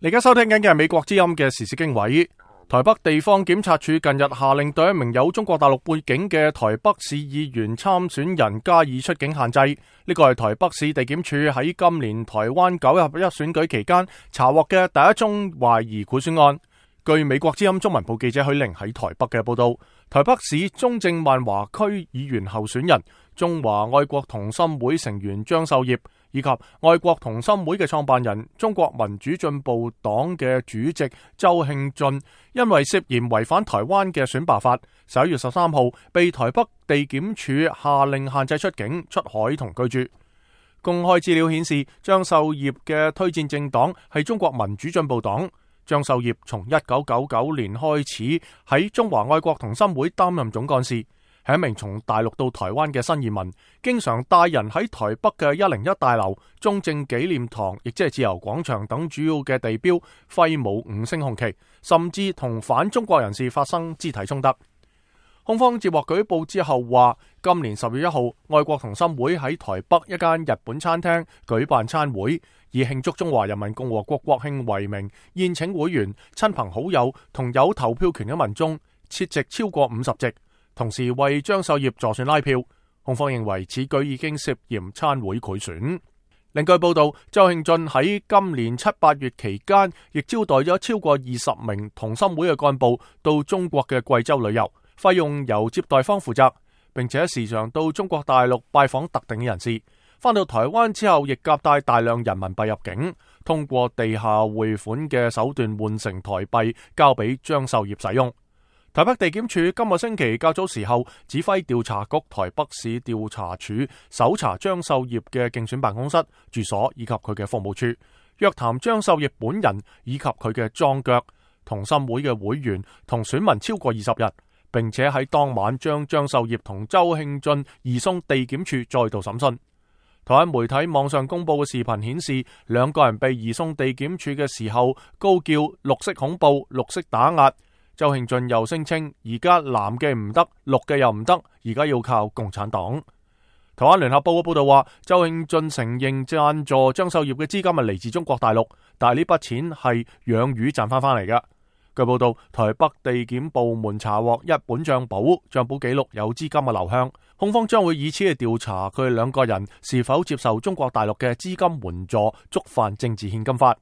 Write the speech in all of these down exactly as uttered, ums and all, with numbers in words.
你而家收聽緊嘅係美國之音嘅時事經緯。台北地方檢察署近日下令對一名有中國大陸背景嘅台北市議員參選人加以出境限制。呢個係台北市地檢署喺今年台灣九合一選舉期間查獲嘅第一宗懷疑賄選案。據美國之音中文部記者許玲喺台北嘅報道，台北市中正萬華區議員候選人、中華愛國同心會成員張秀業以及愛國同心會嘅創辦人、中國民主進步黨嘅主席周慶俊，因為涉嫌違反台灣嘅選罷法，十一月十三號被台北地檢署下令限制出境、出海同居住。公開資料顯示，張秀業嘅推薦政黨係中國民主進步黨。張秀業從一九九九年開始喺中華愛國同心會擔任總幹事，係一名從大陸到台灣嘅新移民，經常帶人喺台北嘅一零一大樓、中正紀念堂，亦即係自由廣場等主要嘅地標揮舞五星紅旗，甚至同反中國人士發生肢體衝突。控方接獲舉報之後話，今年十月一號，愛國同心會喺台北一間日本餐廳舉辦餐會，以慶祝中華人民共和國國慶為名，宴請會員、親朋好友同有投票權嘅民眾，設席超過五十席，同時為張秀業助選拉票。控方認為此舉已經涉嫌餐會賄選。另據報道，周慶俊喺今年七八月期間，亦招待咗超過二十名同心會嘅幹部到中國嘅貴州旅遊，費用由接待方負責，並且時常到中國大陸拜訪特定嘅人士。返到台灣之後，亦夾帶大量人民幣入境，通過地下匯款嘅手段換成台幣，交俾張秀業使用。台北地檢署今個星期較早時候指揮調查局台北市調查處搜查張秀業嘅競選辦公室、住所以及佢嘅服務處，約談張秀業本人以及佢嘅樁腳、同心會嘅會員同選民超過二十日，並且喺當晚將張秀業同周慶俊移送地檢署再度審訊。台灣媒體網上公布嘅視頻顯示，兩個人被移送地檢署嘅時候高叫綠色恐怖、綠色打壓。周慶俊又聲稱，而家藍嘅唔得，綠嘅又唔得，而家要靠共產黨。台灣聯合報嘅報道話，周慶俊承認贊助張秀業嘅資金係嚟自中國大陸，但係呢筆錢係養魚賺翻翻嚟嘅。據報道，台北地檢部門查獲一本賬簿，賬簿記錄有資金嘅流向，控方將會以此嚟調查佢哋兩個人是否接受中國大陸嘅資金援助，觸犯政治獻金法。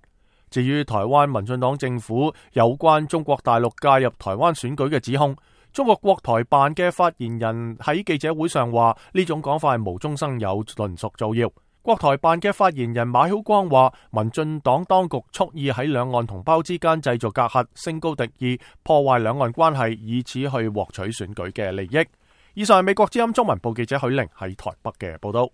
至於台灣民進黨政府有關中國大陸介入台灣選舉嘅指控，中國國台辦嘅發言人喺記者會上話，呢種講法係無中生有，純屬造謠。國台辦嘅發言人馬曉光話，民進黨當局蓄意喺兩岸同胞之間製造隔閡，升高敵意，破壞兩岸關係，以此去獲取選舉嘅利益。以上係美國之音中文部記者許玲喺台北嘅報道。